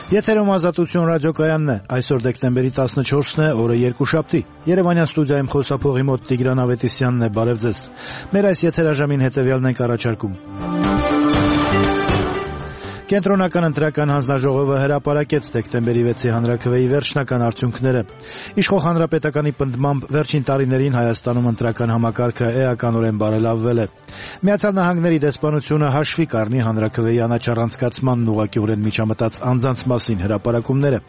Եթերում Ազատություն ռադիոկայանն է, այսօր դեկտեմբերի 14-ն է, օրը երկուշաբթի։ Երևանյան ստուդիայում խոսափողի մոտ Տիգրան Ավետիսյանն է, բարև ձեզ։ Մեր այս եթերաժամին հետևյալն ենք առաջարկում։ Կենտրոնական ընտրական հանձնաժողովը հրապարակեց դեկտեմբերի 6-ի հանրաքվեի վերջնական արդյունքները։ Իշխող հանրապետականի պնդմամբ վերջին տարիներին Հայաստանում ընտրական համակարգը էականորեն բարելավվել է։ Միացյալ Նահանգների դեսպանությունը հաշվի կառնի հանրաքվեի անաչառանցկացմանն ուղղակիորեն միջամտած անձանց մասին հրապարակումները։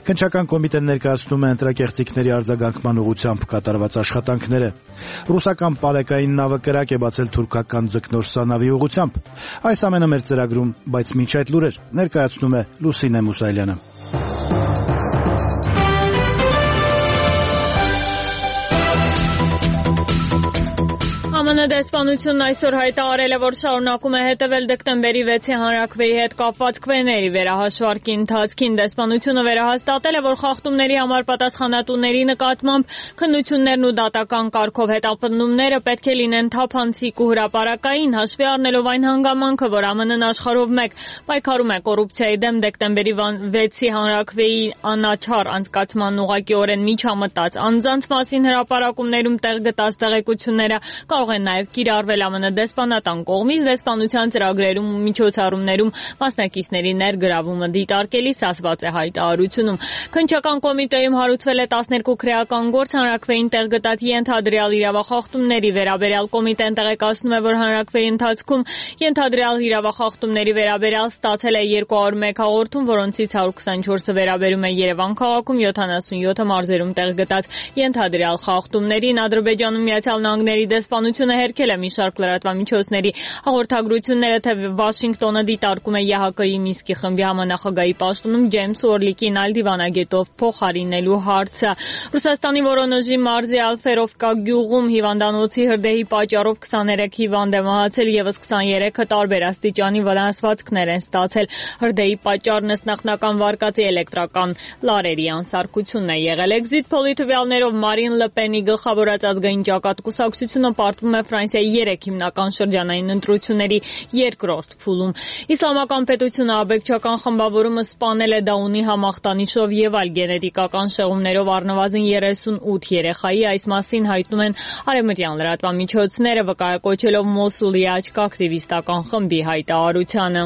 Քննչական կոմիտեն ներկայացնում է ընտրակեղծիքների արձագանքման ուղղությամբ կատարված աշխատանքները։ Ռուսական պարեկային նավը կրակ է բացել թուրքական ձկնորսա նավի ուղղությամբ։ Այս ամենը մեր ծրագրում, բայց մինչ այդ լուրեր ներկայացնում է Լուսինե Մուսայելյանը։ ԱՄՆ դեսպանությունն այսօր հայտարարել է, որ շարունակում է հետևել դեկտեմբերի 6-ի հանրաքվեի հետ կապված քվեների վերահաշվարկի ընթացքին։ Դեսպանությունը վերահաստատել է, որ խախտումների համար պատասխանատուների նկատմամբ քննություններն ու դատական կարգով հետապնդումները պետք է լինեն թափանցիկ ու հրապարակային, հաշվի առնելով այն հանգամանքը, որ ԱՄՆ-ն աշխարհով մեկ պայքարում է կոռուպցիայի դեմ, դեկտեմբերի 6-ի հանրաքվեի անաչառ անցկացման ուղղակիորեն միջամտած անձանց մասին հրապարակումներում տեղ գտած տեղեկությունները կարող են նաև կիրառվել ԱՄՆ դեսպանատան կողմից դեսպանության ծրագրերում ու միջոցառումներում մասնակիցների ներգրավումը դիտարկելիս ասված է հայտարարությունում։ Քննչական կոմիտեում հարուցվել է 12 քրեական գործ հանրաքվեին տեղ գտած ենթադրյալ իրավախախտումների վերաբերյալ։ Կոմիտեն տեղեկացնում է, որ հանրաքվեի ընթացքում ենթադրյալ իրավախախտումների վերաբերյալ ստացել է 201 հաղորդում, որոնցից 124-ը վերաբերում է Երևան քաղաքում, 77-ը մարզերում տեղ գտած ենթադրյալ խախտումներին։ Ադրբեջանում Միացյալ Նահանգների դեսպանությունը հերքել է մի շարք լրատվամիջոցների հաղորդագրությունները, թե Վաշինգտոնը դիտարկում է ԵՀԿ-ի Մինսկի խմբի համանախագահի պաշտոնում Ջեյմս Օրլիկին այլ դիվանագետով փոխարինելու հարցը։ Ռուսաստանի Վորոնեժի մարզի Ալֆերովկա գյուղում հիվանդանոցի հրդեհի պատճառով 23 հիվանդ է մահացել, եւս 23-ը տարբեր աստիճանի վնասվածքներ են ստացել։ Հրդեհի պատճառն ըստ նախնական վարկածի էլեկտրական լարերի անսարքությունն է եղել։ Էքզիտ փոլի տվյալներով Մարին Լը Պենի գլխավորած ազգային ճակատ կուսակցությունը պարտվում է Ֆրանսիայի 3 հիմնական շրջանային ընտրությունների երկրորդ փուլում։ Իսլամական պետությունը աբեկչական խմբավորումը սպանել է Դաունի համախտանիշով եւ այլ գենետիկական շեղումներով առնվազն 38 երեխայի, այս մասին հայտնում են արևմտյան լրատվամիջոցները, վկայակոչելով Մոսուլի աչք ակտիվիստական խմբի հայտարարությանը։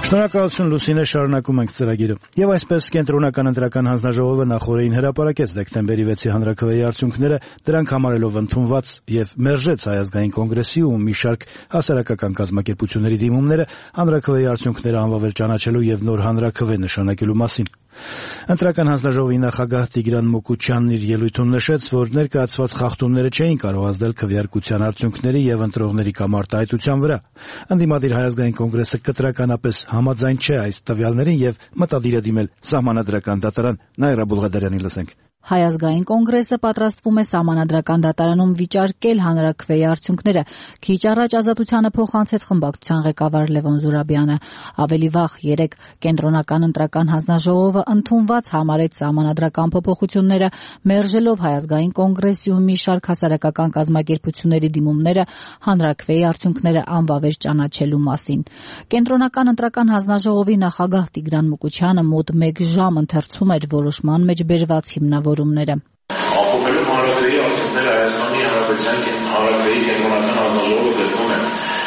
Շնորհակալություն Լուսինե, շարունակում ենք ծրագիրը։ Եվ այսպես կենտրոնական ընտրական հանձնաժողովը նախորդին հրապարակեց դեկտեմբերի 6-ի հանրաքվեի արդյունքները, դրանք համարելով ընդունված եւ մերժեց Հայ ազգային կոնգրեսի ու մի շարք հասարակական կազմակերպությունների դիմումները հանրաքվեի արդյունքները անվավեր ճանաչելու եւ նոր հանրաքվե նշանակելու մասին։ Ընտրական հանձնաժողովի նախագահ Տիգրան Մուկուչյանն իր ելույթում նշեց, որ ներկայացված խախտումները չէին կարող ազդել քվեարկության արդյունքների եւ ընտրողների կամ արտահայտության վրա։ Ընդդիմադիր Հայ ազգային կոնգրեսը կտրականապես համաձայն չէ այս տվյալներին եւ մտադիր է դիմել սահմանադրական դատարան։ Նաիրա Բուլղադարյանի լսենք։ Հայ ազգային կոնգրեսը պատրաստվում է սահմանադրական դատարանում վիճարկել հանրաքվեի արդյունքները։ Քիչ առաջ Ազատությանը փոխանցեց խմբակցության ղեկավար Լևոն Զուրաբյանը։ Ավելի վաղ 3 կենտրոնական ընտրական հանձնաժողովը ընդունված համարեց սահմանադրական փոփոխությունները, մերժելով Հայ ազգային կոնգրեսի ու մի շարք հասարակական կազմակերպությունների դիմումները հանրաքվեի արդյունքները անվավեր ճանաչելու մասին։ Կենտրոնական ընտրական հանձնաժողովի նախագահ Տիգրան Մուկուչյանը մոտ 1 ժամ ընթերցում էր որոշման մեջ բերված հիմնավորումները։ Ապօրինի հանրաքվեի արդյունքները Հայաստանի Հանրապետության հանրաքվեի կենտրոնական հանձնաժողովը գրում են,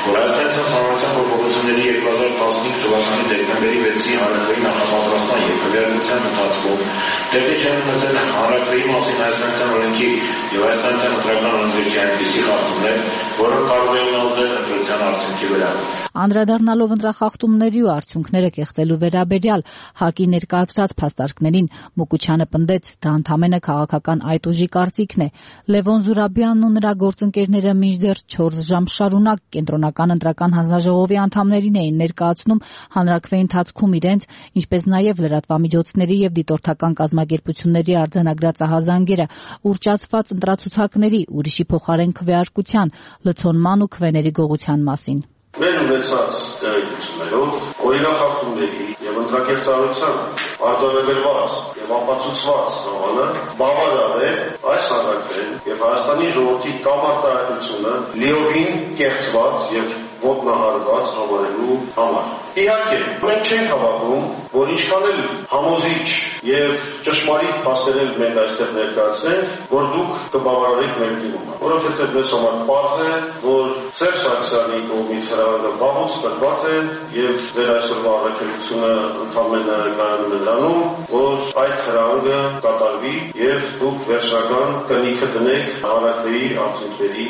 որ Հայաստանի Հանրապետության փոփոխությունների 2015 թվականի դեկտեմբերի 6-ի հանրաքվեի նախապատրաստման եւ քվեարկության ընթացքում տեղի չեն ունեցել հանրաքվեի մասին Հայաստանյան օրենքի եւ Հայաստանյան ընտրական օրենսդրության այնպիսի խախտումներ, որոնք կարող են ազդել ընտրության արդյունքի վրա։ Անդրադառնալով ընտրախախտումների ու արդյունքները կեղծելու վերաբերյալ ՀԱԿ-ի ներկայացրած փաստարկներին Մուկուչյանը պնդեց, դա ընդամենը քաղաքական այդ ուժի կարծիքն է։ Լևոն Զուրաբյանն ու նրա գործընկերները մինչդեռ 4 ժամ շարունակ կենտրոնական ընտրական հանձնաժողովի անդամներին էին ներկայացնում հանրաքվեի ընթացքում իրենց, ինչպես նաև լրատվամիջոցների եւ դիտորդական կազմակերպությունների արձանագրած ահազանգերը, ուռճացված ընտրացուցակների, ուրիշի փոխարեն քվեարկության, լցոնման ու քվեների գողության մասին։ Մեր ունեցած տեղեկություններով օրինախախտումների եւ ընտրակերտարության արձանագրված եւ ապացուցված նոմանը բավարար է այս հանրաքվեն եւ Հայաստանի ժողովրդի կամարտահայտությունը լիովին կեղծված եւ ոտնահարված համարելու համար։ Իհարկե, մենք չենք հավատում, որ ինչքան էլ համոզիչ եւ ճշմարիտ փաստեր մենք այստեղ ներկայացնենք, որ դուք կբավարարեք մեր դիմումը, որովհետեւ մեզ համար պարզ է, որ Սերժ Սարգսյանի կողմից հրավերը վաղուց տրված է եւ ձեր այսօրվա առաքելությունը ընդհանրապես կայանում է նրանում, որ այդ հրավերը կատարվի եւ դուք վերջնական կնիքը դնեք հանրաքվեի արդյունքների։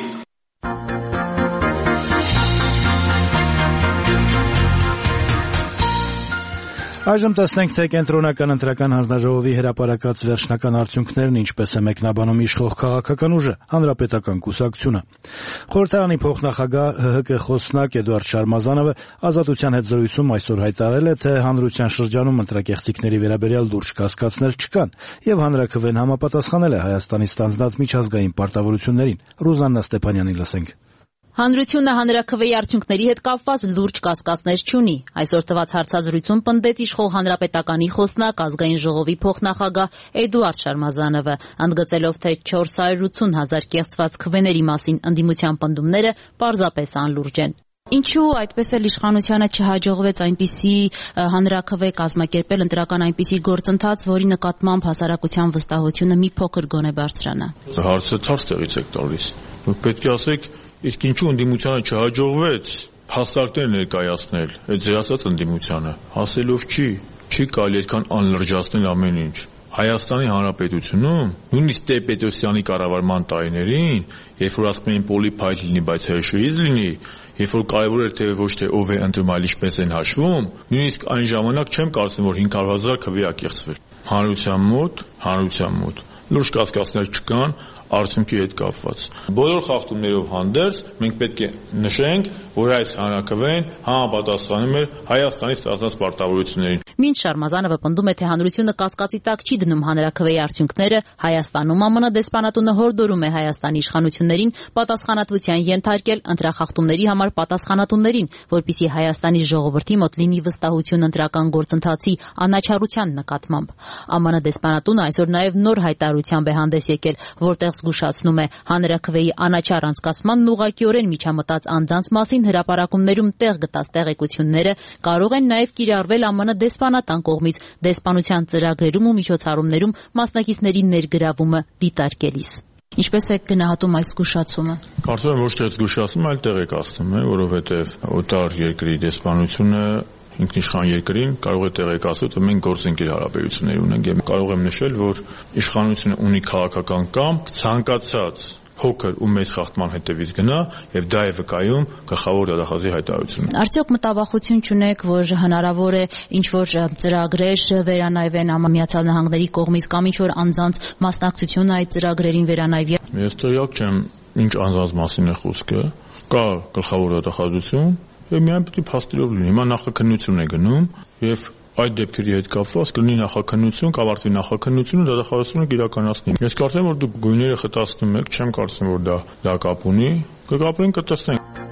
Այժմ տեսնենք, թե կենտրոնական ընտրական հանձնաժողովի հրապարակած վերջնական արդյունքներն ինչպես է մեկնաբանում իշխող քաղաքական ուժը, Հանրապետական կուսակցությունը։ Խորհրդարանի փոխնախագահ ՀՀԿ խոսնակ Էդուարդ Շարմազանովը Ազատության հետ զրույցում այսօր հայտարարել է, թե հանրության շրջանում ընտրակեղծիքների վերաբերյալ լուրջ կասկածներ չկան, եւ հանրաքվեն համապատասխանել է Հայաստանի ստանձնած միջազգային պարտավորություններին։ Ռուզաննա Ստեփանյանին լսենք։ Հանրությունը հանրաքվեի արդյունքների հետ կապված լուրջ կասկածներ չունի։ Այսօր տված հարցազրույցում պնդեց իշխող Հանրապետականի խոսնակ Ազգային ժողովի փոխնախագահ Էդուարդ Շարմազանովը, ընդգծելով, թե 480,000 կեղծված քվեների մասին ընդդիմության պնդումները պարզապես անլուրջ են։ Ինչու այդպես էլ իշխանությանը չհաջողվեց այնպիսի հանրաքվե կազմակերպել, ընտրական այնպիսի գործընթաց, որի նկատմամբ հասարակության վստահությունը մի փոքր գոնե բարձրանա։ Հարցը թարս տեղից եք տալիս։ Դուք պետք է ասեք, իսկ ինչու ընդդիմությանը չհաջողվեց փաստարկներ ներկայացնել, այդ ձեր ասած ընդդիմությանը, ասելով չի կարելի այդքան անլրջացնել ամեն ինչ։ Հայաստանի Հանրապետությունում, նույնիսկ Տեր-Պետրոսյանի կառավարման տարիներին, երբ որ ասում էին պոլի փայլ լինի, բայց հեշուիզ լինի, երբ որ կարևոր էր թե ոչ թե ով է ընտրում, այլ ինչպես են հաշվում, նույնիսկ այն ժամանակ չեմ կարծում, որ 500,000 քվե ա կեղծվել։ Հանրության մոտ լուրջ կասկածներ չկան արդյունքի հետ կապված։ Բոլոր խախտումներով հանդերձ մենք պետք է նշենք, որ այս հանրաքվեն համապատասխանում է Հայաստանի ստանձնած պարտավորություններին։ Մինչ Շարմազանովը պնդում է, թե հանրությունը կասկածի տակ չի դնում հանրաքվեի արդյունքները, Հայաստանում ԱՄՆ դեսպանատունը հորդորում է Հայաստանի իշխանություններին պատասխանատվության ենթարկել ընտրախախտումների համար պատասխանատուներին, որպեսզի Հայաստանի ժողովրդի մոտ լինի վստահություն ընտրական գործընթացի անաչառության նկատմամբ։ ԱՄՆ դեսպանատունը այսօր նաև նոր հայտարարությամբ է հանդես եկել, որտեղ զգուշացնում է հանրաքվեի անաչառ անցկացմանն ուղղակիորեն միջամտած անձանց մասին հրապարակումներում տեղ գտած տեղեկությունները կարող են նաև կիրառվել ԱՄՆ դեսպանատան կողմից դեսպանության ծրագրերում ու միջոցառումներում մասնակիցների ներգրավումը դիտարկելիս։ Ինչպես է գնահատում այս զգուշացումը։ Կարծում եմ ոչ թե զգուշացում, այլ տեղեկացնում է, որովհետև օտար երկրի դեսպանությունը ինքնիշխան երկրին կարող է տեղեկացնել, որ մենք գործընկեր հարաբերություններ ունենք եւ կարող եմ նշել, որ իշխանությունը ունի քաղաքական կամք ցանկացած փոքր ու մեծ խախտման հետևից գնա եւ դա է վկայում գլխավոր դատախազի հայտարարությունը։ Արդյոք մտավախություն չունեք, որ հնարավոր է ինչ-որ ծրագրեր վերանայվեն Միացյալ Նահանգների կողմից կամ ինչ-որ անձանց մասնակցությունը այդ ծրագրերին վերանայվի։ Ես տեղյակ չեմ ինչ անձանց մասին է խոսքը։ Կա գլխավոր դատախազություն եւ միայն պետք է փաստերով լինի։ Հիմա նախաքննություն է գնում եւ այդ դեպքերի հետ կապված կլինի նախաքննություն, կավարտվի նախաքննությունը, դատախազությունը կիրականացնի։ Ես կարծեմ, որ դուք գույները խտացնում եք, չեմ կարծում, որ դա կապ ունի։ Կգապրենք, կտեսնենք։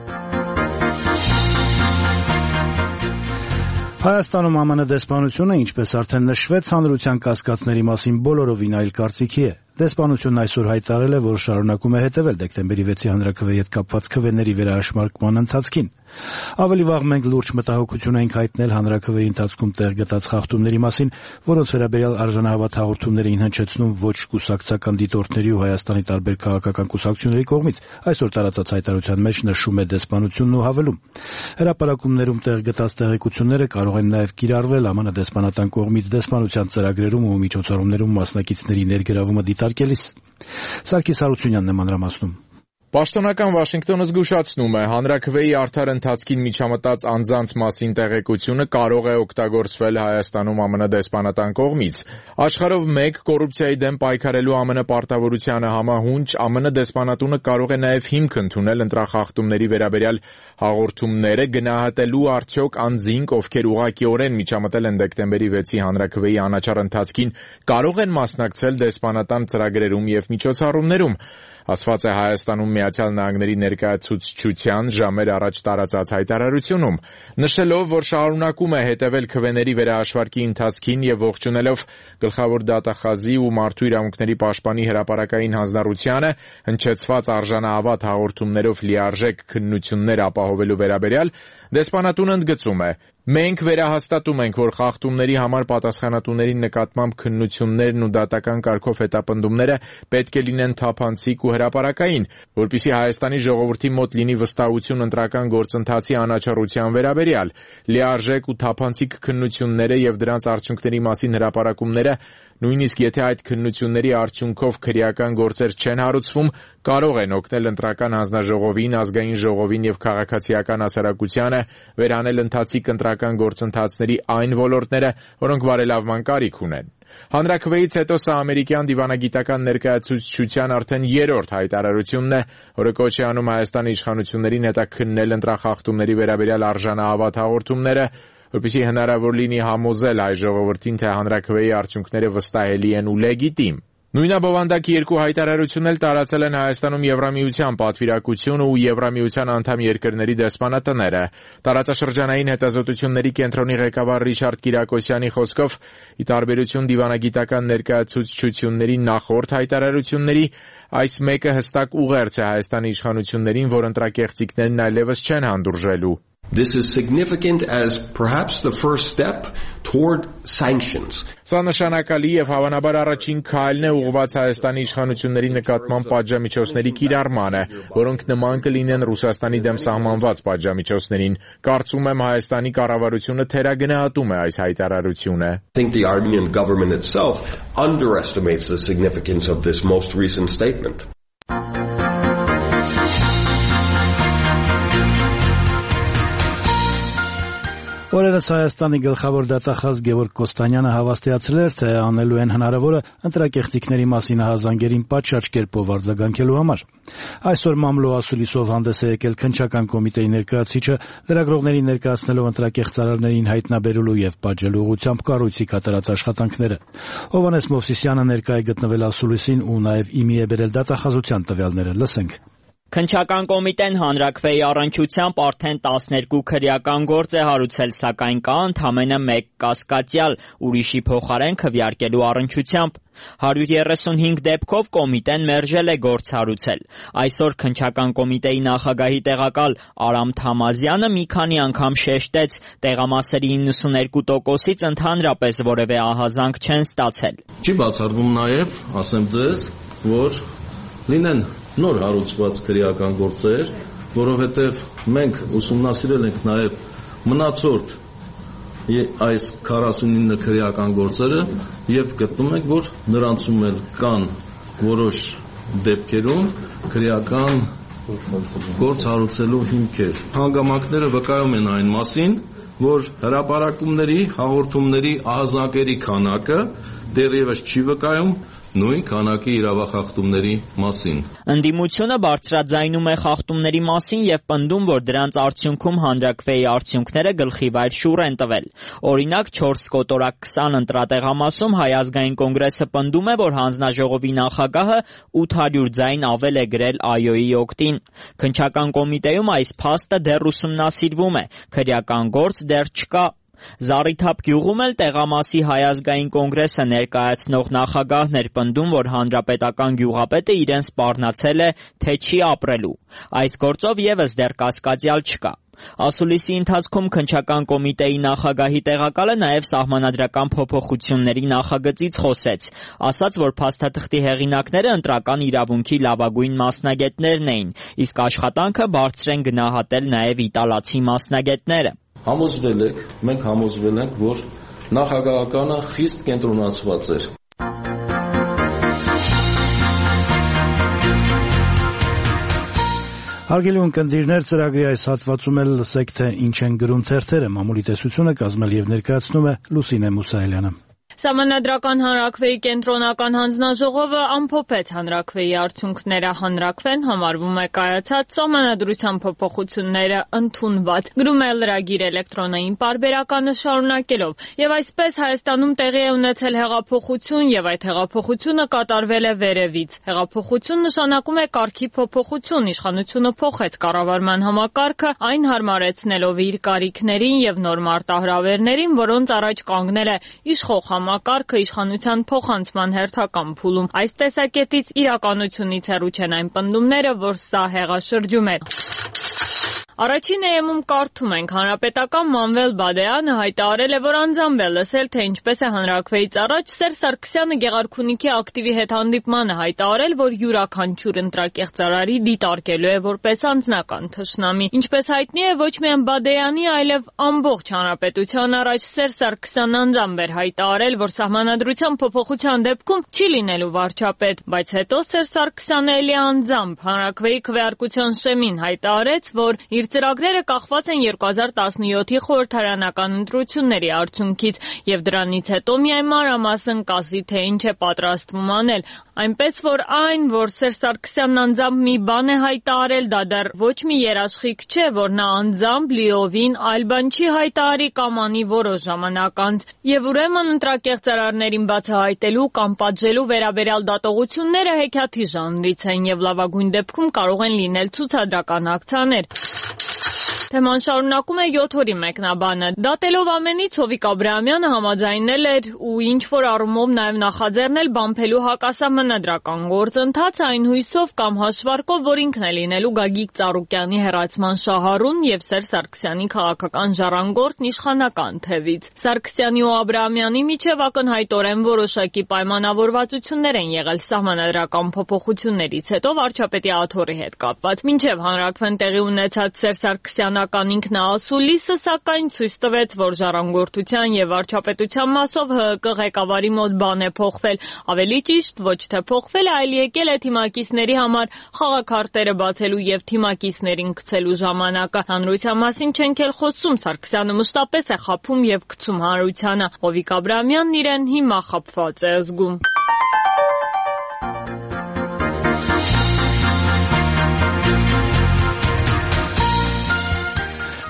Հայաստանում ԱՄՆ դեսպանությունը, ինչպես արդեն նշվեց, հանրության կասկածների մասին բոլորովին այլ կարծիքի է։ Դեսպանությունն այսօր հայտարարել է, որ շարունակում է հետևել դեկտեմբերի 6-ի հանրաքվեի հետ կապված քվեների վերահաշմարկման ընթացքին։ Ավելի վաղ մենք լուրջ մտահոգություն ենք հայտնել հանրաքվեի ընթացքում տեղ գտած խախտումների մասին, որոնց վերաբերյալ արժանահավատ հաղորդումներ էին հնչեցնում ոչ կուսակցական դիտորդների ու Հայաստանի տարբեր քաղաքական կուսակցությունների կողմից։ Այսօր տարածած հայտարարության մեջ նշում է դեսպանությունն ու հավելում. հրապարակումներում տեղ գտած տեղեկությունները կարող են նաև կիրառվել ԱՄՆ դեսպանատան կողմից դեսպանության ծրագրերում ու միջոցառումներում մասնակիցների ներգրավումը դիտարկելիս։ Սարգիս Հարությունյանն է մանրամասնում։ Պաշտոնական Վաշինգտոնը զգուշացնում է, հանրաքվեի արդար ընթացքին միջամտած անձանց մասին տեղեկությունը կարող է օգտագործվել Հայաստանում ԱՄՆ դեսպանատան կողմից։ Աշխարհով մեկ կոռուպցիայի դեմ պայքարելու ԱՄՆ պարտավորությանը համահունչ ԱՄՆ դեսպանատունը կարող է նաև հիմք ընդունել ընտրախախտումների վերաբերյալ հաղորդումները գնահատելու արդյոք անձինք, ովքեր ուղղակիորեն միջամտել են դեկտեմբերի 6-ի հանրաքվեի անաչառ ընթացքին, կարող են մասնակցել դեսպանատան ծրագրերում եւ միջոցառումներում։ ասված է Հայաստանում Միացյալ Նահանգների ներկայացուցչության ժամեր առաջ տարածած հայտարարությունում, նշելով, որ շարունակում է հետևել քվեների վերահաշվարկի ընթացքին եւ ողջունելով գլխավոր դատախազի ու մարդու իրավունքների պաշտպանի հրապարակային հանձնառությանը հնչեցված արժանահավատ հաղորդումներով լիարժեք քննություններ ապահովելու վերաբերյալ, դեսպանատունը ընդգծում է. «Մենք վերահաստատում ենք, որ խախտումների համար պատասխանատուների նկատմամբ քննություններն ու դատական կարգով հետապնդումները պետք է լինեն թափանցիկ ու հրապարակային, որպեսզի Հայաստանի ժողովրդի մոտ լինի վստահություն ընտրական գործընթացի անաչառության վերաբերյալ։ Լիարժեք ու թափանցիկ քննությունները եւ դրանց արդյունքների մասին հրապարակումները, նույնիսկ եթե այդ քննությունների արդյունքով քրեական գործեր չեն հարուցվում, կարող են օգնել ընտրական հանձնաժողովին, ազգային ժողովին եւ քաղաքացիական հասարակությանը վերանել ընթացիկ ընտրական գործընթացների այն ոլորտները, որոնք բարելավման կարիք ունեն»։ Հանրաքվեից հետո սա ամերիկյան դիվանագիտական ներկայացուցչության արդեն երրորդ հայտարարությունն է, որը կոչ է անում Հայաստանի իշխանություններին հետաքննել ընտրախախտումների վերաբերյալ արժանահավատ հաղորդումները, որպեսզի հնարավոր լինի համոզել հայ ժողովրդին, թե հանրաքվեի արդյունքները վստահելի են ու լեգիտիմ։ Նույնաբովանդակ երկու հայտարարություն էլ տարածել են Հայաստանում Եվրամիության պատվիրակությունը ու Եվրամիության անդամ երկրների դեսպանատները։ Տարածաշրջանային հետազոտությունների կենտրոնի ղեկավար Ռիչարդ Կիրակոսյանի խոսքով, ի տարբերություն դիվանագիտական ներկայացուցչությունների նախորդ հայտարարությունների, այս մեկը հստակ ուղերձ է Հայաստանի իշխանություններին, որ ընտրակեղծիքներն այլևս չեն հանդուրժելու։ This is significant as perhaps the first step toward sanctions. Սա նշանակալի եւ հավանաբար առաջին քայլն է ուղղված Հայաստանի իշխանությունների նկատմամբ պատժամիջոցների կիրառմանը, որոնք նման կլինեն Ռուսաստանի դեմ սահմանված պատժամիջոցներին։ Կարծում եմ Հայաստանի կառավարությունը թերագնահատում է այս հայտարարությունը։ I think the Armenian government itself underestimates the significance of this most recent statement. Օրերս Հայաստանի գլխավոր դատախազ Գևորգ Կոստանյանը հավաստիացրել էր, թե անելու են հնարավորը ընտրակեղծիքների մասին հազանգերին պատշաճ կերպով արձագանքելու համար։ Այսօր մամլո ասուլիսով հանդես է եկել քննչական կոմիտեի ներկայացուցիչը, լրագրողներին ներկայացնելով ընտրակեղծարարներին հայտնաբերելու եւ պատժելու ուղղությամբ կառույցի կատարած աշխատանքները։ Հովհաննես Մովսիսյանը ներկայ է գտնվել ասուլիսին ու նաեւ իմի է բերել դատախազության տվյալները։ Լսենք։ Քննչական կոմիտեն հանրաքվեի առնչությամբ արդեն 12 քրեական գործ է հարուցել, սակայն կա ընդամենը 1 կասկածյալ, ուրիշի փոխարեն քվեարկելու առնչությամբ։ 135 դեպքով կոմիտեն մերժել է գործ հարուցել։ Այսօր քննչական կոմիտեի նախագահի տեղակալ Արամ Թամազյանը մի քանի անգամ շեշտեց, տեղամասերի 92%-ից ընդհանրապես որևէ ահազանգ չեն ստացել։ Չի բացառվում նաև, ասեմ ձեզ, որ լինեն նոր հարուցված քրեական գործեր, որովհետև մենք ուսումնասիրել ենք նաև մնացորդ այս 49 քրեական գործերը եւ գտնում ենք, որ նրանցում էլ կան որոշ դեպքերում քրեական գործ հարուցելու հիմքեր։ Հանգամանքները վկայում են այն մասին, որ հրապարակումների, հաղորդումների ահազանգերի քանակը դեռևս չի վկայում նույն քանակի իրավախախտումների մասին։ Ընդդիմությունը բարձրաձայնում է խախտումների մասին եւ պնդում, որ դրանց արդյունքում հանրաքվեի արդյունքները գլխիվայր շուռ են տվել։ Օրինակ 4 կոտորակ 20 ընտրատեղամասում Հայ ազգային կոնգրեսը պնդում է, որ հանձնաժողովի նախագահը 800 ձայն ավել է գրել ԱՅՈ-ի օգտին։ Քննչական կոմիտեում այս փաստը դեռ ուսումնասիրվում է, քրեական գործ դեռ չկա։ Զառիթափ գյուղում էլ տեղամասի Հայ ազգային կոնգրեսը ներկայացնող նախագահն էր պնդում, որ հանրապետական գյուղապետը իրեն սպառնացել է, թե չի ապրելու։ Այս գործով եւս դեռ կասկածյալ չկա։ Ասուլիսի ընթացքում քննչական կոմիտեի նախագահի տեղակալը նաև սահմանադրական փոփոխությունների նախագծից խոսեց, ասաց, որ փաստաթղթի հեղինակները ընտրական իրավունքի լավագույն մասնագետներն էին, իսկ աշխատանքը բարձր են գնահատել նաև իտալացի մասնագետները։ Մենք համոզվել ենք, որ նախագահականը խիստ կենտրոնացված էր։ Հարգելի ունկնդիրներ, ծրագրի այս հատվածում էլ լսեք, թե ինչ են գրում թերթերը։ Մամուլի տեսությունը կազմել եւ ներկայացնում է Լուսինե Մուսայելյանը։ Սահմանադրական հանրաքվեի կենտրոնական հանձնաժողովը ամփոփեց հանրաքվեի արդյունքները։ Հանրաքվեն համարվում է կայացած, սահմանադրության փոփոխությունները ընդունված, գրում է լրագիր էլեկտրոնային պարբերականը շարունակելով։ Եվ այսպես Հայաստանում տեղի է ունեցել հեղափոխություն, եւ այդ հեղափոխությունը կատարվել է վերևից։ Հեղափոխություն նշանակում է կարգի փոփոխություն, իշխանությունը փոխեց կառավարման համակարգը, այն հարմարեցնելով իր կարիքներին եւ նոր մարտահրավերներին, որոնց առաջ կանգնել է իշխող համակարգը իշխանության փոխանցման հերթական փուլում։ Այս տեսակետից իրականությունից հեռու չեն այն պնդումները, որ սա հեղաշրջում է։ Առաջին էմում կարդում ենք, հանրապետական Մանվել Բադեյանը հայտարարել է, որ անձամբ է լսել, թե ինչպես է հանրաքվեից առաջ Սերժ Սարգսյանը Գեղարքունիքի ակտիվի հետ հանդիպմանը հայտարարել, որ յուրաքանչյուր ընտրակեղծարարի դիտարկելու է որպես անձնական թշնամի։ Ինչպես հայտնի է, ոչ միայն Բադեյանի, այլև ամբողջ հանրապետության առաջ Սերժ Սարգսյանն անձամբ էր հայտարարել, որ սահմանադրության փոփոխության դեպքում չի լինելու վարչապետ, բայց հետո Սերժ Սարգսյանը էլի անձամբ հանրաքվեի քվեարկության շեմին հայտարարեց, որ իր ծրագրերը կախված են 2017-ի խորհրդարանական ընտրությունների արդյունքից եւ դրանից հետո միայն մանրամասն կասի, թե ինչ է պատրաստվում անել, այնպես որ այն, որ Սերժ Սարգսյանն անձամբ մի բան է հայտարարել, դա դեռ ոչ մի երաշխիք չէ, որ նա անձամբ լիովին այլ բան չի հայտարարի կամ անի որոշ ժամանակ անց, եւ ուրեմն ընտրակեղծարարներին բացահայտելու կամ պատժելու վերաբերյալ դատողությունները հեքիաթի ժանրից են եւ լավագույն դեպքում կարող են լինել ցուցադրական ակցիաներ։ Թեման շարունակում է 7 օրի մեկնաբանը։ Դատելով ամենից Հովիկ Աբրահամյանը համաձայնել էր ու ինչ-որ առումով նաև նախաձեռնել բամփելու հակասահմանադրական գործընթաց այն հույսով կամ հաշվարկով, որ ինքն է լինելու Գագիկ Ծառուկյանի հեռացման շահառուն եւ Սերժ Սարգսյանի քաղաքական ժառանգորդն իշխանական թևից։ Սարգսյանի ու Աբրահամյանի միջև ակնհայտորեն որոշակի պայմանավորվածություններ են եղել սահմանադրական փոփոխություններից հետո վարչապետի աթոռի հետ կապված։ Մինչև հանրաքվեն տեղի ունեցած Սերժ Սարգսյանը ինքնաասուլիսը, սակայն ցույց տվեց, որ ժառանգորդության եւ վարչապետության մասով ՀՀԿ ղեկավարի մոտ բան է փոխվել, ավելի ճիշտ ոչ թե փոխվել, այլ եկել է թիմակիցների համար խաղաքարտերը բացելու եւ թիմակիցներին գցելու ժամանակը։ Հանրության մասին չենք էլ խոսում, Սարգսյանը մշտապես է խաբում եւ գցում հանրությանը։ Հովիկ Աբրահամյանն իրեն հիմա խաբված է զգում։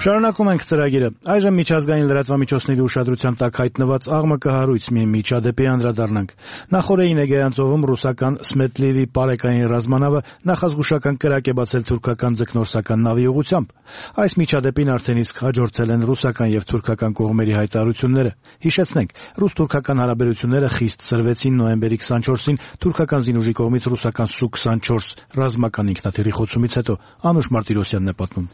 Շարունակում ենք ծրագիրը։ Այժմ միջազգային լրատվամիջոցների ուշադրության տակ հայտնված աղմկը հարույց մի միջադեպի անդրադառնանք։ Նախորդին Էգեյան ծովում ռուսական Սմետլիվի պարեկային ռազմանավը նախազգուշական կրակ է բացել թուրքական ձկնորսական նավի ուղղությամբ։ Այս միջադեպին արդեն իսկ հաջորդել են ռուսական եւ թուրքական կողմերի հայտարարությունները։ Հիշեցնենք, ռուս-թուրքական հարաբերությունները խիստ սրվեցին նոյեմբերի 24-ին թուրքական զինուժի կողմից ռուսական Սու-24 ռազմական ինքնաթիռի խոցումից հետո։ Անուշ Մարտիրոսյանն է պատմում։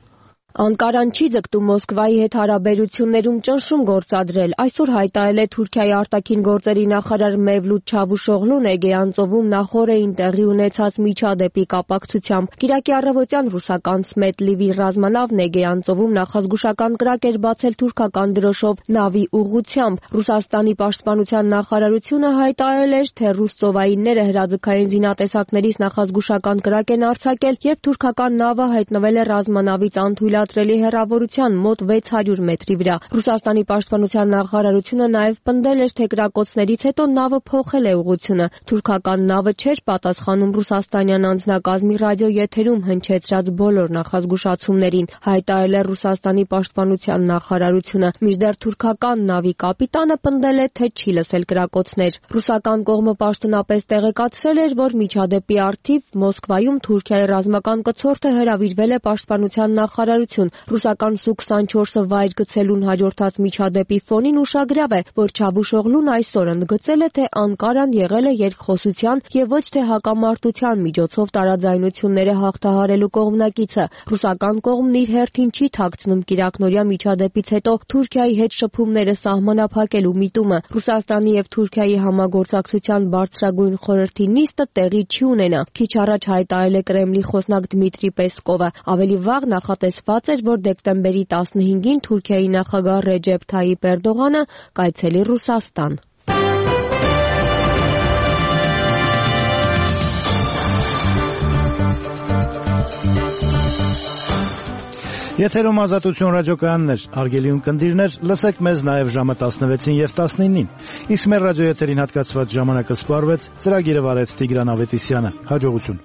Անկարան չի ձգտում Մոսկվայի հետ հարաբերություններում ճնշում գործադրել։ Այսօր հայտարարել է Թուրքիայի արտաքին գործերի նախարար Մևլութ Չավուշօղլուն Էգեյան ծովում նախորդին տեղի ունեցած միջադեպի կապակցությամբ։ Կիրակի առավոտյան ռուսական Սմետլիվի ռազմանավն Էգեյան ծովում նախազգուշական կրակ էր բացել թուրքական դրոշով նավի ուղղությամբ։ Ռուսաստանի պաշտպանության նախարարությունը հայտարարել էր, թե ռուս ծովայինները հրաձգային զինատեսակներից նախազգուշական կրակ են արձակել, երբ թուրքական նավը հայտնվել է ռազմանավից անթույլատրելի հեռավորության մոտ 600 մետրի վրա։ Ռուսաստանի պաշտպանության նախարարությունը նաև պնդել էր, թե կրակոցներից հետո նավը փոխել է ուղղությունը։ Թուրքական նավը չէր պատասխանում ռուսաստանյան անձնակազմի ռադիոեթերում հնչեցրած բոլոր նախազգուշացումներին, հայտարարել է Ռուսաստանի պաշտպանության նախարարությունը։ Մինչդեռ թուրքական նավի կապիտանը պնդել է, թե չի լսել կրակոցներ։ Ռուսական կողմը պաշտոնապես տեղեկացրել էր, որ միջադեպի առթիվ Մոսկվայում Թուրքիայի ռազմական կցորդը հրավիրվել է պաշտպանության նախարարություն։ Ռուսական Սու-24-ը վայր գցելուն հաջորդած միջադեպի ֆոնին ուշագրավ է, որ Չավուշօղլուն այսօր ընդգծել է, թե Անկարան եղել է երկխոսության եւ ոչ թե հակամարտության միջոցով տարաձայնությունները հաղթահարելու կողմնակիցը։ Ռուսական կողմն իր հերթին չի թաքցնում կիրակնօրյա միջադեպից հետո Թուրքիայի հետ շփումները սահմանափակելու միտումը։ Ռուսաստանի եւ Թուրքիայի համագործակցության բարձրագույն խորհրդի նիստը տեղի չի ունենա։ Քիչ առաջ հայտարարել է Կրեմլի խոսնակ Դմիտրի Պեսկովը։ Ավելի վաղ նախատեսված էր, որ դեկտեմբերի 15-ին Թուրքիայի նախագահ Ռեջեփ Թայիպ Էրդողանը կայցելի Ռուսաստան։ Եթերում Ազատություն ռադիոկայաններ, արգելյուն կնդիրներ, լսեք մեզ նաև ժամը 16-ին եւ 19-ին։ Իսկ մեր ռադիոեթերին հատկացված ժամանակը սպառվեց, ծրագիրը վարեց Տիգրան Ավետիսյանը։ Հաջողություն։